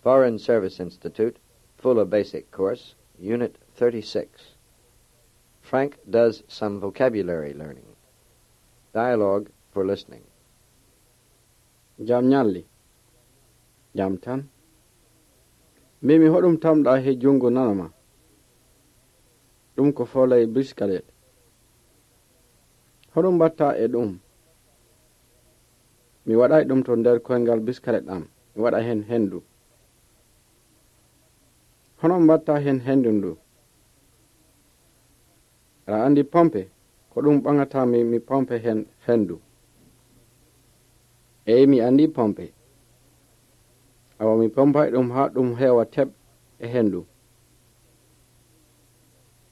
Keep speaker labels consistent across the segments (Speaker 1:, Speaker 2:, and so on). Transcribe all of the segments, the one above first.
Speaker 1: Foreign Service Institute, Fuller Basic Course, Unit 36. Frank does some vocabulary learning. Dialogue for listening.
Speaker 2: Jam nyalli. Jam tan. Mimi hoɗum tamɗa he jungo nanama. Ɗum ko folay biskalet. Hoɗum batta e ɗum. Mi waɗay ɗum to nder koyngal biskalet am. Mi waɗa hen hendu. Hono mbatta hen hendu ndu. Aɗa andi pompe ko ɗum ɓangata mi pompe hen hendu. Eyi mi andi pompe. Awa mi pompay ɗum ha ɗum heewa teɓ e hendu.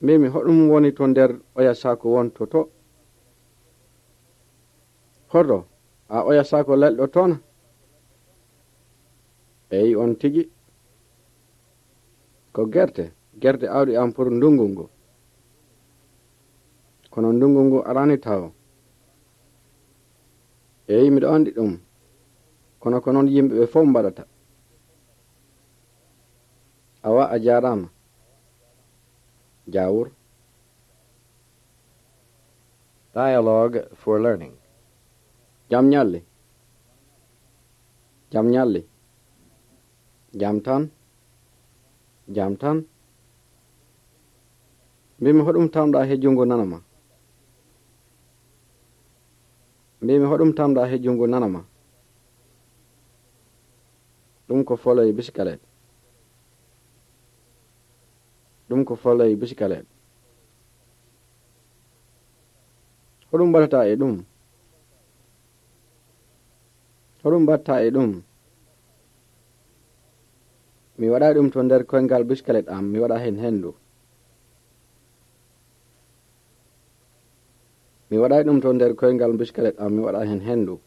Speaker 2: Mimi hoɗum woni to nder oya sako wonto to. Hoto a oya sako lelɗo toon. Eyi on tigi. Ko gerte awdi am pour ndungu ngu. Kono ndungu ngu arani taw. Eyi miɗo andi ɗum. Kono ko noon yimɓe ɓe fof mbaɗata. Awa a jarama. Jawur.
Speaker 1: Dialogue for learning.
Speaker 2: Jam nyalli. Jam nyalli. Jam tan. Jam tan. Mbimi hoɗum tamɗa he jungo nanama. Mbimi hoɗum tamɗa he jungo nanama. Ɗum ko folay biskalet. Ɗum ko folay biskalet. Hoɗum baɗata e ɗum. Hoɗum batta e ɗum. Mi waɗa ɗum to nder koyngal biskalet am mi waɗa hen hendu. Mi waɗa ɗum to nder koyngal biskalet am mi waɗa hen hendu.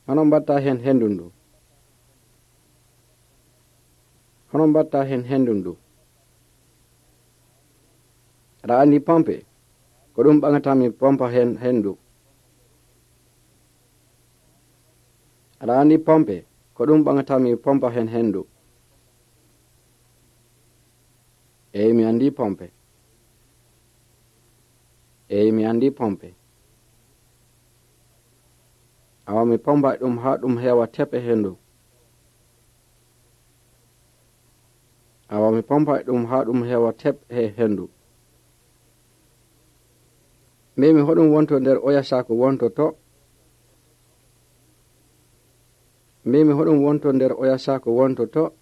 Speaker 2: Hono mbatta hen hendu ndu. Hono mbatta hen hendu ndu. Aɗa andi pompe ko ɗum ɓangata mi pompa hen hendu. Aɗa andi pompe ko ɗum ɓangata mi pompa hen hendu. Eyi mi andi pompe. Eyi mi andi pompe. Awa mi pompa ɗum ha ɗum heewa teɓe hendu. Awa mi pompa ɗum ha ɗum heewa teɓe hendu. Mimi hoɗum wonto nder oya sako wonto to. Mimi hoɗum wonto nder oya sako wonto to.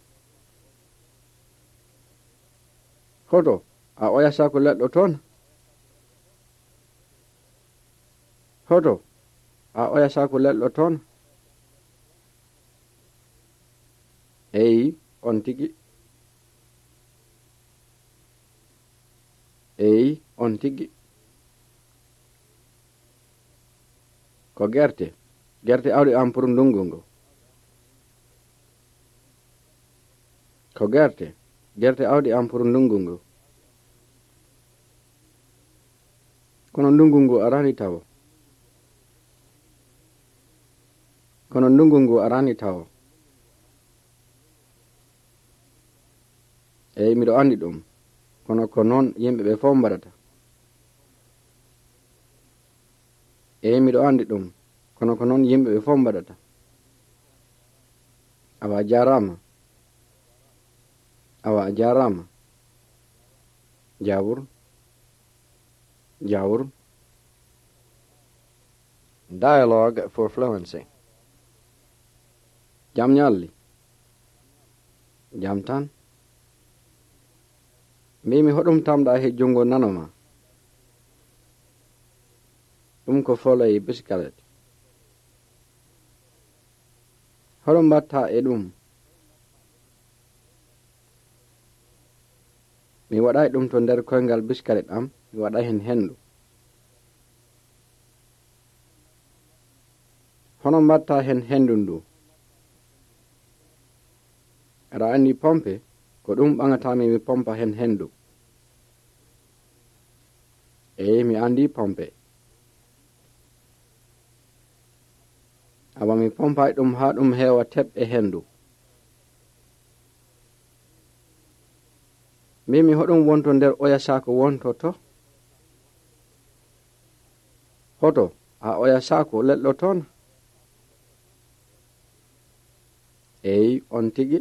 Speaker 2: Hoto a oya sako leɗɗo toon. Hoto a oya sako leɗɗo toon. Eyi on tigi. Eyi on tigi. Ko gerte awdi am pour ndungu ngu. Ko gerte awdi am pour ndungu ngu. Kono ndungu ngu arani taw. Kono ndungu ngu arani taw. Eyi miɗo andi ɗum. Kono ko noon yimɓe ɓe fof mbaɗata. Eyi miɗo andi ɗum. Kono ko noon yimɓe ɓe fof mbaɗata. Awa a jarama. Awa a jarama. Jawur. Jawur.
Speaker 1: Dialogue for fluency.
Speaker 2: Jam nyalli. Jam tan. Mimi hoɗum tamɗa he jungo nanoma. Ɗum ko folay biskalet. Hoɗum mbatta e ɗum. Mi waɗay ɗum to nder koyngal biskalet am mi waɗa hen hendu. Hono mbatta hen hendu ndu. Aɗa andi pompe ko ɗum ɓangatami mi pompa hen hendu. Eyi mi andi pompe. awa mi pompay ɗum haa ɗum heewa teɓɓe hendu. Mbimi hoɗum wonto nder oya saako wonto to? Hoto haa oya saako leɗɗo toon? Eyi, on tigi.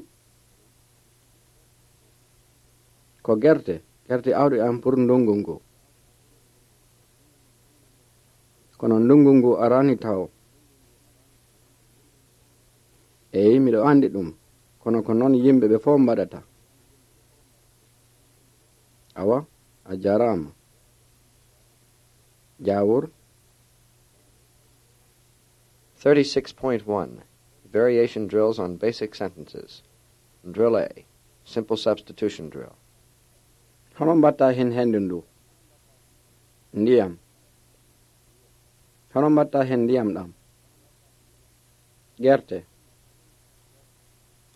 Speaker 2: Ko gerte awɗi am pour ndungu ngu. Kono ndungu ngu arani taw. Eyi, miɗo andi ɗum, kono ko noon yimɓe ɓe fof mbaɗata. Awa, a jarama. Jawur.
Speaker 1: 36.1 Variation drills on basic sentences. Drill A. Simple substitution drill.
Speaker 2: Hono mbatta hen hendu ndu? Ndiyam. Hono mbatta hen ndiyam ɗam? Gerte.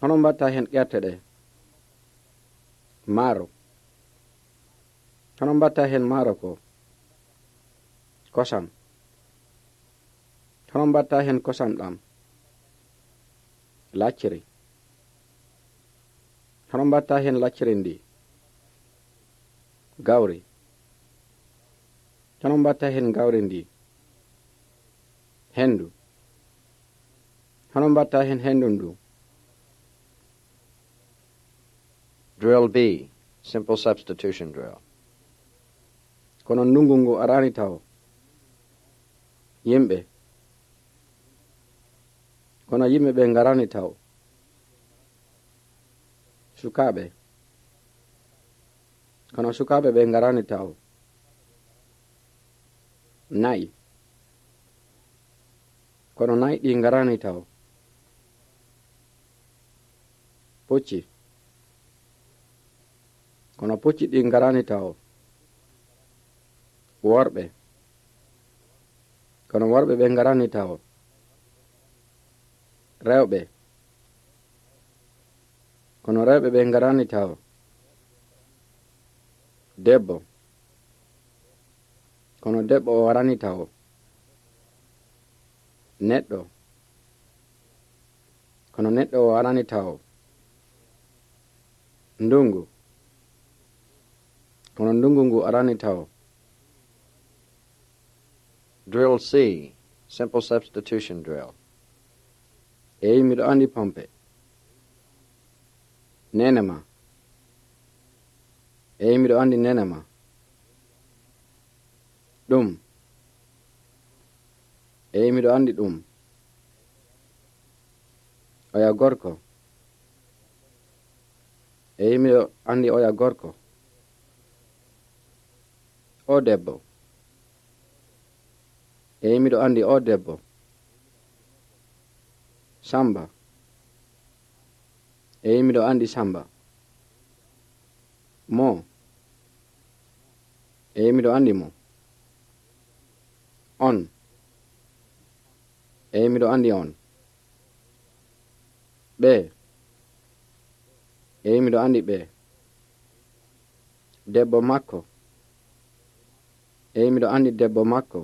Speaker 2: Hono mbatta hen gerte ɗe? Maaro. Hono mbatta hen maaro ko? Kosam. Hono mbatta hen kosam ɗam? Lacciri. Hono mbatta hen lacciri ndi? Gawri. Hono mbatta hen gawri ndi? Hendu. Hono mbatta hen hendu ndu?
Speaker 1: Drill B. Simple substitution drill.
Speaker 2: Kono ndungu ngu arani taw. Yimɓe. Kono yimɓe ɓe ngarani taw. Sukaaɓe. Kono sukaaɓe ɓe ngarani taw. Nayi. Kono nayi ɗi ngarani taw. Pucci. Kono pucci ɗi ngarani taw. Worɓe. Kono worɓe ɓe ngarani taw. Rewɓe. Kono rewɓe ɓe ngarani taw. Debbo. Kono debbo o warani taw. Neɗɗo. Kono neɗɗo o warani taw. Ndungu. Kono ndungu ngu arani taw.
Speaker 1: Drill C. Simple substitution drill.
Speaker 2: Eyi, miɗo andi pompe. Nene ma. Eyi, miɗo andi nene ma. Ɗum. Eyi, miɗo andi ɗum. Oya gorko. Eyi, miɗo andi oya gorko. O debbo. Eyi, miɗo andi o debbo. Samba. Eyi, miɗo andi Samba. Mo. Eyi, miɗo andi mo. On. Eyi, miɗo andi on. Ɓe. Eyi, miɗo andi ɓe. Debbo makko. Eyi, miɗo andi debbo makko.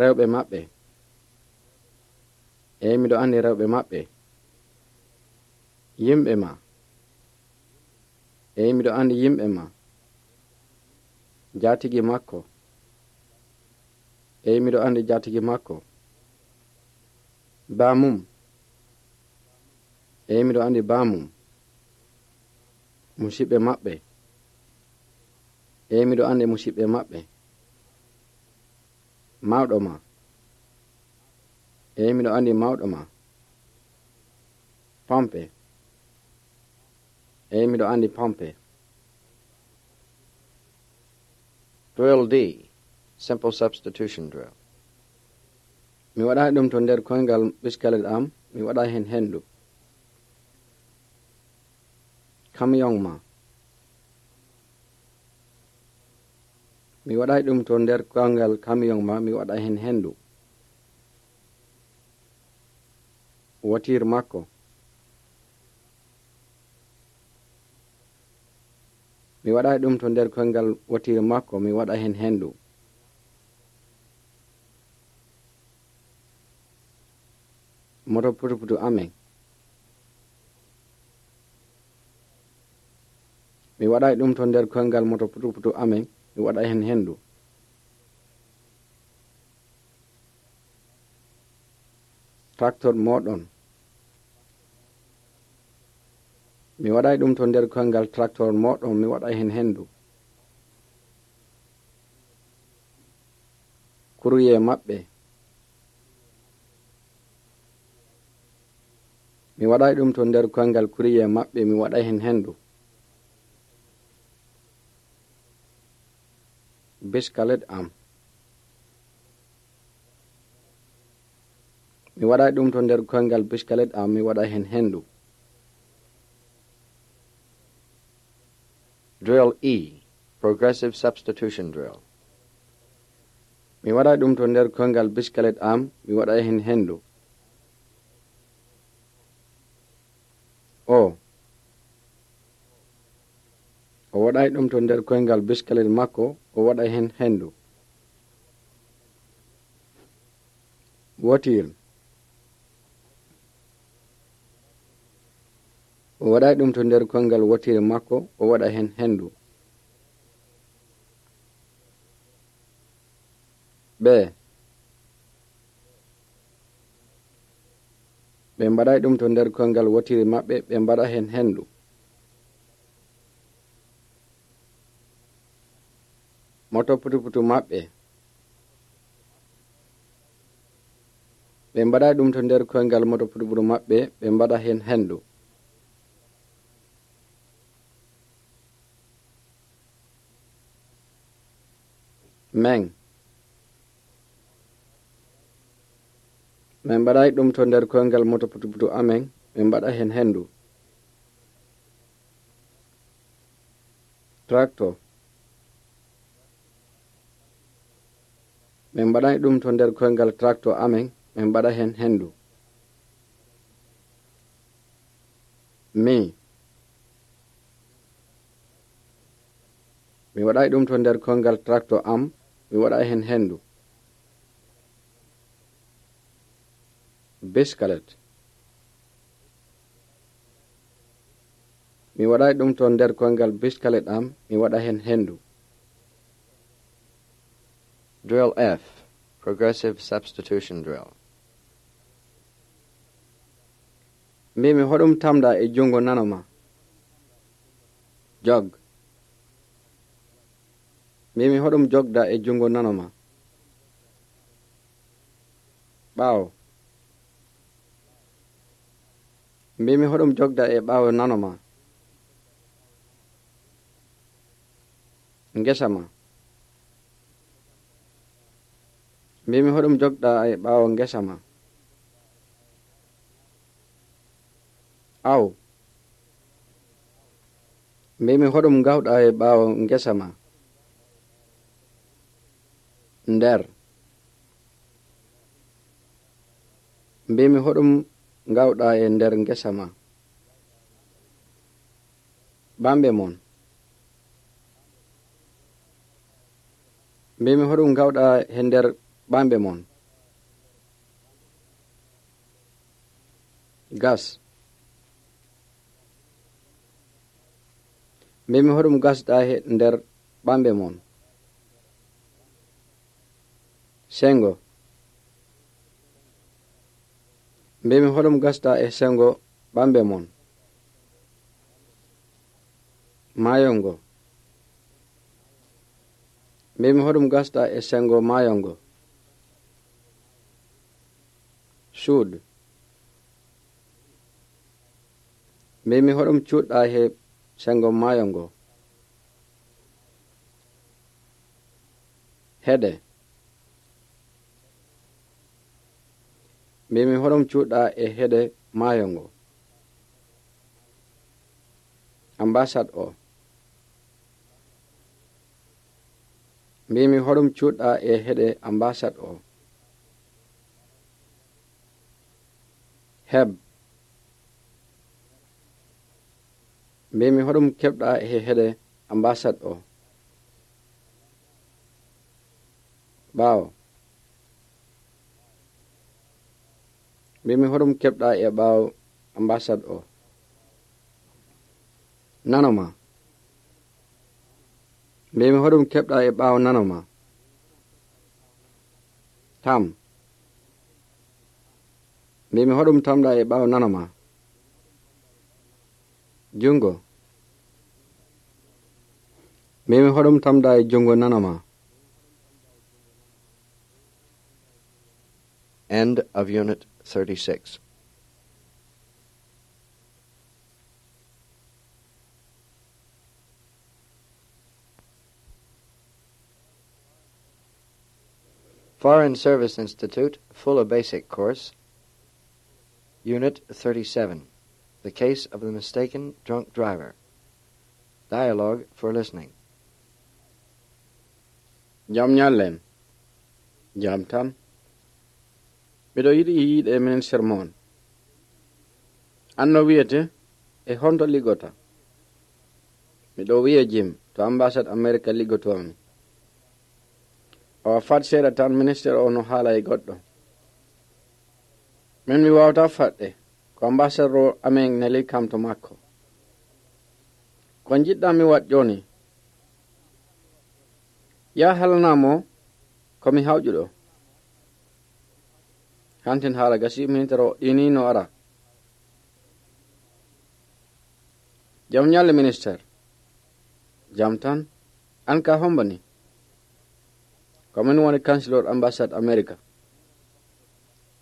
Speaker 2: Rewɓe maɓɓe. Eyi, miɗo andi rewɓe maɓɓe. Yimɓe ma. Eyi, miɗo andi yimɓe ma. Jaatigi makko. Eyi, miɗo andi jaatigi makko. Baamum. Eyi, miɗo andi baamum. Musidɓe maɓɓe. Eyi, miɗo andi musidɓe maɓɓe. Mawɗo ma. Eyi, miɗo andi mawɗo ma. Pompe. Eyi, miɗo andi pompe.
Speaker 1: Drill D. Simple substitution drill.
Speaker 2: Mi waɗa ɗum to nder koyngal ɓiskele am, mi waɗa hen hendu. Camion ma. Mi waɗa ɗum to nder koyngal camion ma, mi waɗa hen hendu. Wotir makko. Mi waɗa ɗum to nder koyngal wotir makko, mi waɗa hen hendu. moto putuputu amen. Mi waɗay ɗum to nder koyngal moto putuputu amen, mi waɗay hen hendu. Tractor moɗon. Mi waɗay ɗum to nder koyngal tractor moɗon, mi waɗay hen hendu. Kuruye maɓɓe. Mi waɗay ɗum to nder koyngal kuruye maɓɓe, mi waɗay hen hendu. Biskalet am. Mi waɗay ɗum to nder koyngal biskalet am, mi waɗay hen hendu.
Speaker 1: Drill E, Progressive Substitution Drill.
Speaker 2: Mi waɗay ɗum to nder koyngal biskalet am, mi waɗay hen hendu. O waɗay ɗum to nder koyngal biskalet makko, o waɗay hen hendu. Wotir. O waɗay ɗum to nder koyngal wotir makko, o waɗay hen hendu. Ɓe mbaɗay ɗum to nder koyngal wotiri maɓɓe, ɓe mbaɗa hen hendu. Moto putuputu maɓɓe. Ɓe mbaɗay ɗum to nder koyngal moto putuputu maɓɓe, ɓe mbaɗa hen hendu. Meng. Min mbaɗay ɗum to nder koyngal moto putuputu amen, min mbaɗa hen hendu. Tractor. Min mbaɗay ɗum to nder koyngal tractor amen, min mbaɗa hen hendu. Mi waɗay ɗum to nder koyngal tractor am, mi waɗa hen hendu. Biskalet. Mi waɗay ɗum to nder koyngal biskalet am, mi waɗa hen hendu.
Speaker 1: Drill F, Progressive Substitution Drill.
Speaker 2: Mbimi hoɗum tamɗa e jungo nanoma. Jog. Mbimi hoɗum jogda e jungo nanoma. Ɓaawo. Mbimi hoɗum jogda e ɓaawo nanoma. Ngesa ma. Mbimi hoɗum jogda e ɓaawo ngesa ma. Aw. Mbimi hoɗum gawɗa e ɓaawo ngesa ma. Nder. Mbimi hoɗum gawɗa e nder ngesa ma. Bambe mon. Mbimi hoɗum gawɗa e nder bambe mon. Gas. Mbimi hoɗum gasɗa e nder bambe mon. Sengo. Mbimi hoɗum gasɗa e sengo bambe mon. Mayongo. Mbimi hoɗum gasɗa e sengo mayongo. Suud. Mbimi hoɗum cuɗɗa e sengo mayongo. Heɗe. Mbimi hoɗum cuɗɗa e heɗe mayongo. Ambasad o. Mbimi hoɗum cuɗɗa e heɗe ambasad o. Heb. Mbimi hoɗum keɓɗa e heɗe ambasad o. Ɓaawo. mbimi hoɗum keɓɗa e ɓaawo ambassade o. Nanoma. Mbimi hoɗum keɓɗa e ɓaawo nanoma. Tam. Mbimi hoɗum tamɗa e ɓaawo nanoma. Jungo. Mbimi hoɗum tamɗa e jungo nanoma.
Speaker 1: End of Unit 36. Foreign Service Institute, Fuller Basic Course, Unit 37, The Case of the Mistaken Drunk Driver. Dialogue for Listening.
Speaker 2: Jam nyallen. Jam tan. Miɗo yiɗi yiide e minen sermon. Anno wiyete e honto liggota. Miɗo wiye Jim to ambassade America liggotomi. O fat seeɗa tan ministére o no haala e goɗɗo. Min mi wawata faɗɗe ko ambassadeur o amen neli kam to makko. Ko jiɗɗa mi waɗ joni? Ya halanamo komi hawƴuɗo. Hantin haala gasi ministére o ɗini no ara. Jam nyalle ministére. Jam tan. An ka hombani. Komin woni councilor ambassade America.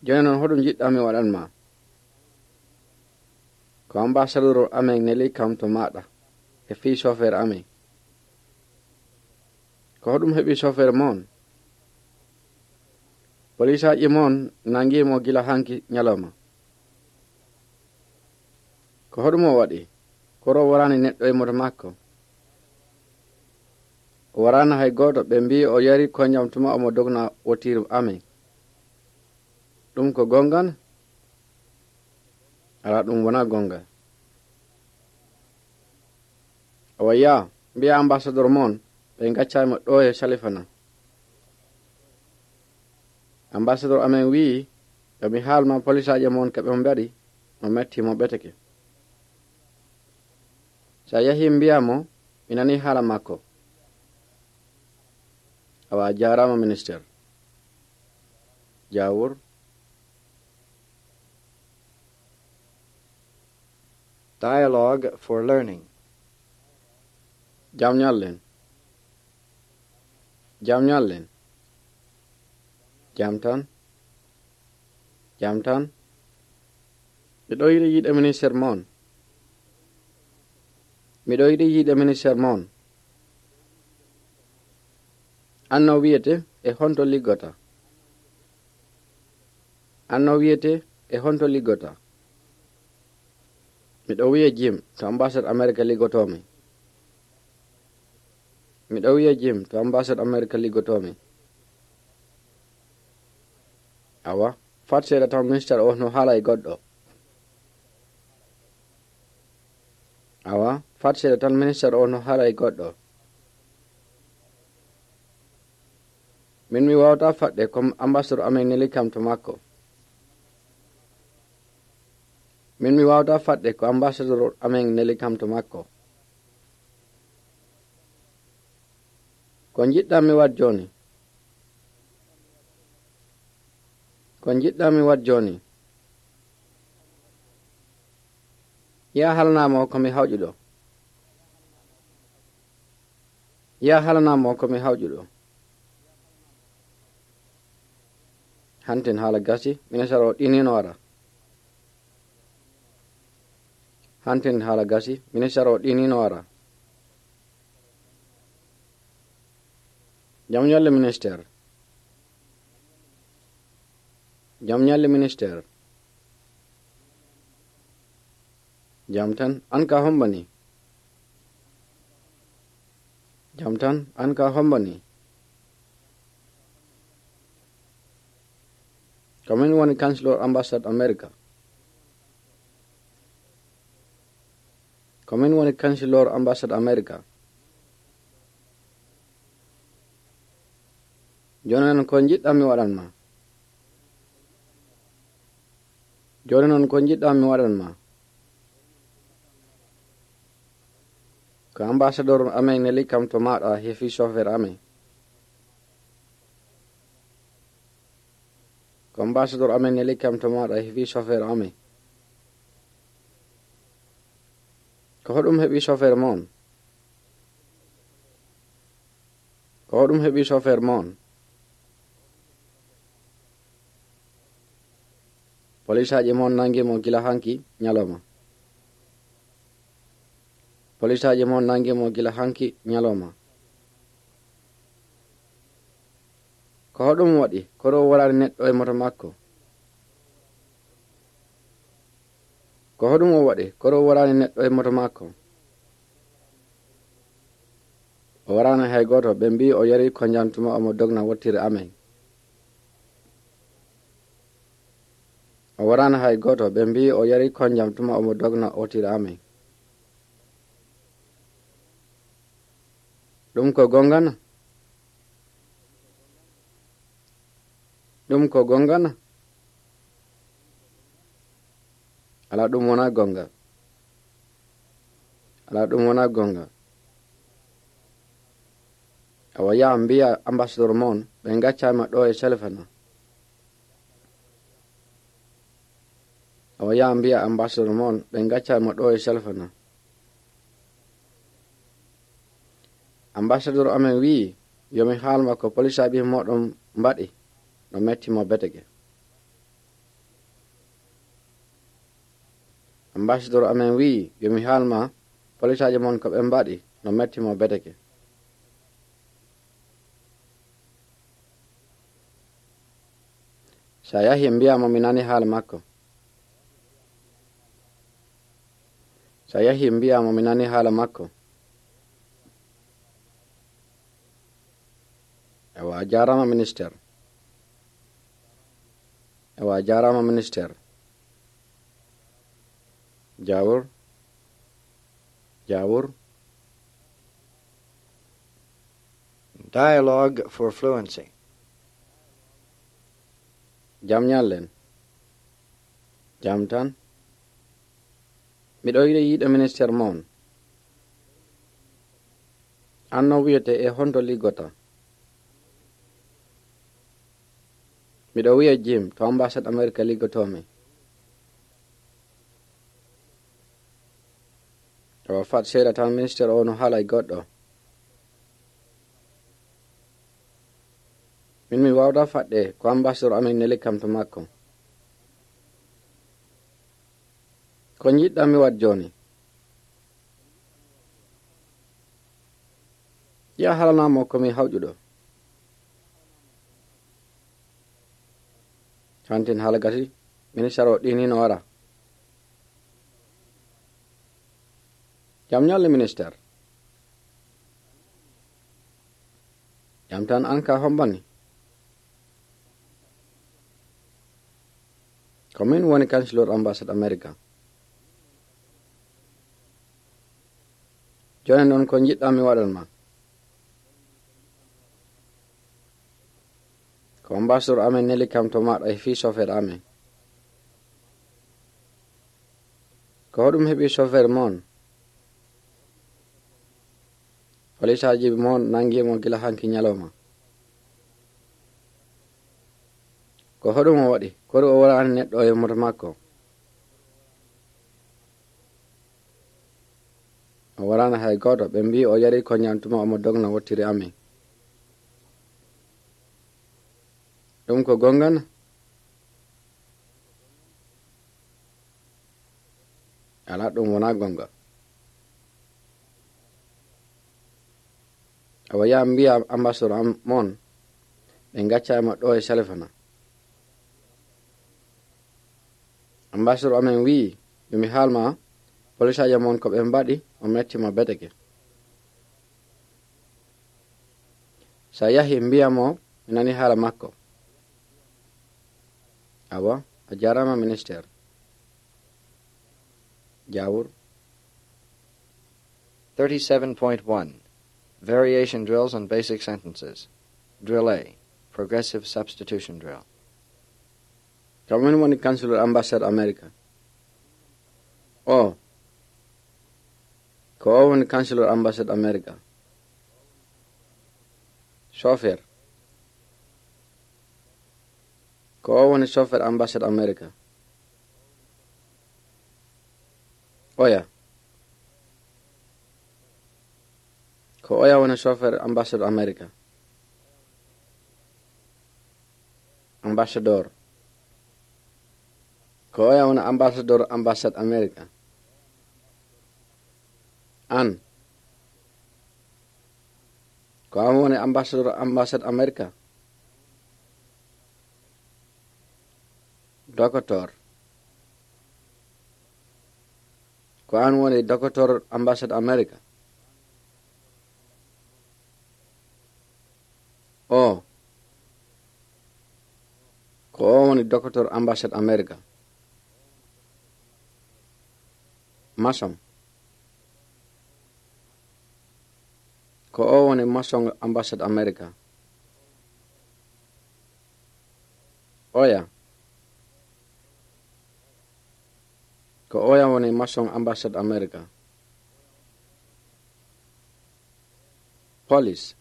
Speaker 2: Joni noon hoɗum jiɗɗa mi waɗanma. Ko ambassadeur amen neli kam to maɗa e fii chauffeur amen. Ko hoɗum heɓi chauffeur mon. Police aji mon nangimo gila hanki nyaloma. Ko hoɗum o waɗi. Koro warani neɗɗo e moto makko. O warana hay goto ɓe mbi o yari koñam tuma omo dogna wotiru amen. Ɗum ko gongal? Ala ɗum wona gongal. O ya mbiya ambassadeur mon ɓe gaccaymo ɗo e salifana. Ambassadeur amen wi yomi haalma police aje mon keɓe mo mbaɗi mo metti mo ɓeteke. Sa yahi mbiyamo mi nani haala makko. Awa jarama ministére. Jawur.
Speaker 1: Dialogue for Learning.
Speaker 2: Jam nyallen. Jam nyallen. Jam tan. Jam tan. Miɗo yiɗi yiide ministére mon. Miɗo yiɗi yiide ministére mon. Anno wiyete e honto liggota. Anno wiyete e honto liggota. Miɗo wiye Jim to ambassade America liggotomi. Miɗo wiye Jim to ambassade America liggotomi. Awa fat seeɗa tan ministére o no haala e goɗɗo. Awa fat seeɗa tan ministére o no haala e goɗɗo. Min mi wawata faɗɗe comme ambassadeur amen neli kam to makko. Min mi wawata faɗɗe ko ambassadeur amen neli kam to makko. Ko jiɗɗa mi waɗ joni? Ko jiɗɗa mi waɗ joni? Ya halanamo komi hawƴuɗo. Ya halanamo komi hawƴuɗo. Hantin haala gasi ministére o ɗinino ara. Hantin haala gasi ministére o ɗinino ara. Jam nyalle ministére. Jam nyalle ministére. Jam tan an ka hombani. Jam tan an ka hombani. Komin woni councilor ambassade America. Komin woni councilor ambassade America. Joni non ko jiɗɗa mi waɗanma. Joni noon ko jiɗɗa mi waɗanma? Ko ambassador amen neli kam to maɗa hefi chauffeur amen. Ko ambassador amen neli kam to maɗa hefi chauffeur amen. Ko hoɗum heɓi chauffeur mon? Ko hoɗum heɓi chauffeur mon? Polisaje mon nangi mo gila hanki nyaloma. Polisaje mon nangi mo gila hanki nyaloma. Ko hoɗum waɗi koro warani neɗɗo e moto makko? Ko hoɗum o waɗi koro warani neɗɗo e moto makko? O warani hay goto, ɓe mbi o yari ko jantuma omo dogna wottire amen. O warani hay goto, ɓe mbi o yari ko jantuma omo dogna wottire amen. ɗum ko gongana? ɗum ko gongana? Ala ɗum wona gonga. Ala ɗum wona gonga. Awa yaha mbiya ambassador mon ɓe gaccama ɗo e selfana. Awa yaha mbiya ambassador mon ɓe gaccama ɗo e selfana. Ambassador amen wi yomi haalma ko polisaɓe moɗon mbaɗi no metti mo beteke. Ambassador amen wi yomi haalma polisaje mon ko ɓe mbaɗi no metti mo beteke. Sa yahi mbiyamo mi nani haala makko. Sa yahi mbiyamo mi nani haala makko. Ewa jarama minister. Ewa jarama minister. Jawur. Jawur.
Speaker 1: Dialogue for fluency.
Speaker 2: Jam nyallen. Jam tan. Miɗo yiɗa minister mon. Anno wiyete e honto liggota. Miɗo wiya Jim to ambassade America liggotomi. O fat seeɗa tan minister o no haala e goɗɗo. Min mi wawda faɗɗe ko ambassador amin neli kam to makko. Ko jiɗɗa mi wat joni? Ya halanamo komi hawƴuɗo. Hantin haala gati minister o ɗini no wara. Jam nyalle minister. Jam tan an ka hombani. Ko min woni councilor ambassade America. Joni noon ko jiɗɗa mi waɗanma? Ko ambassador amen neli kam to maɗa e fi chauffeur amen. Ko hoɗum heɓi chauffeur mon? Polisaji mon nangimo gila hanki nyaloma. Ko hoɗum o waɗi kori o warani neɗɗo e moto makko? O warani hay goto, ɓe mbi o yari ko ñantuma omo dogna wottire amen. ɗum ko gongana? Ala ɗum wona gonga. Awa yaha mbiya ambassador mon ɓe gaccama ɗo e salfana. Ambassador amen wi yomi haalma polisaje mon ko ɓe mbaɗi o metti mo beteke. Sa yahi mbiyamo mi nani haala makko. Awa a jarama minister. Jawur.
Speaker 1: 37.1 Variation drills on basic sentences. Drill A. Progressive substitution drill.
Speaker 2: Kamen woni Councilor Ambassade America. O. Ko o woni Councilor Ambassade America. Chauffeur. Ko o woni chauffeur Ambassade America. Oya. Ko oya woni chauffeur Ambassade America. Ambassador. Ko oya woni ambassador Ambassade America. An. Ko an woni ambassador Ambassade America. Doctor. Ko an woni doctor Ambassade America. O. Ko o woni doctor Ambassade America. Mason. Ko o woni mason Ambassade America. Oya. Ko oya woni mason Ambassade America. Police.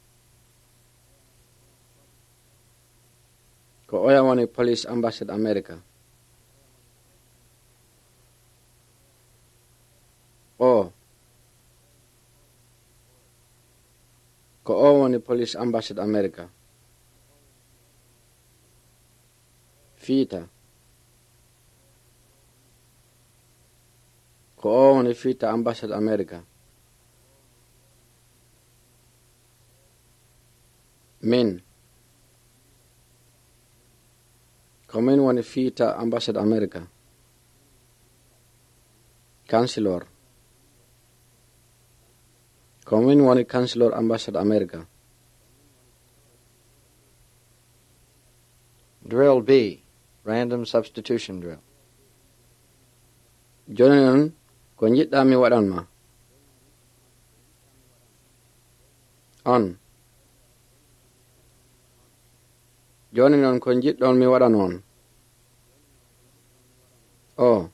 Speaker 2: Ko oya woni police Ambassade America. O. Ko o woni police Ambassade America. Fiita. Ko o woni fiita Ambassade America. Min. Ko min woni fiita Ambassade America. Councilor. Ko min woni Councilor Ambassade America.
Speaker 1: Drill B. Random substitution drill.
Speaker 2: Joni non ko jiɗɗa mi waɗanma. On. Joni non ko jiɗɗon mi waɗan on. O.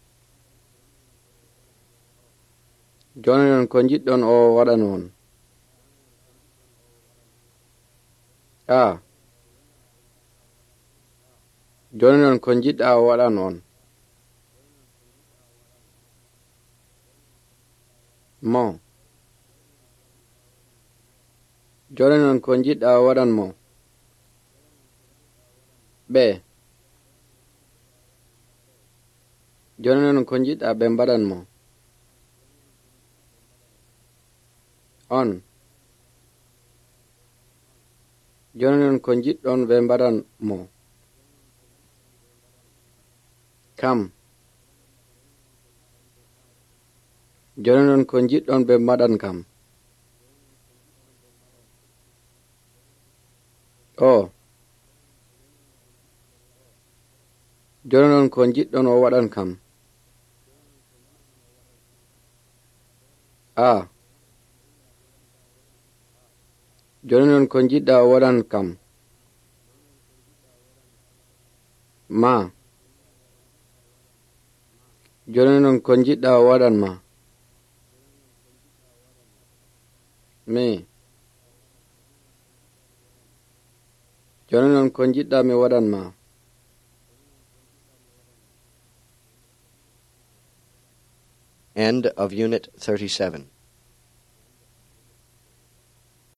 Speaker 2: Joni non ko jiɗɗon o waɗan on. A. Joni non ko jiɗɗa o waɗan on. Mo. Joni non ko jiɗɗa o waɗan mo. Ɓe. Joni non ko jiɗɗa ɓe mbaɗan mo. On. Joni non ko jiɗɗon ɓe mbaɗan mo. Kam. Joni non ko jiɗɗon ɓe mbaɗan kam. O. Joni non ko jiɗɗon o waɗan kam. A. Joni non ko jiɗɗa o waɗan kam. Ma. Joni non ko jiɗɗa o waɗan ma. Mi. Joni non ko jiɗɗa mi waɗan ma.
Speaker 1: End of Unit 37.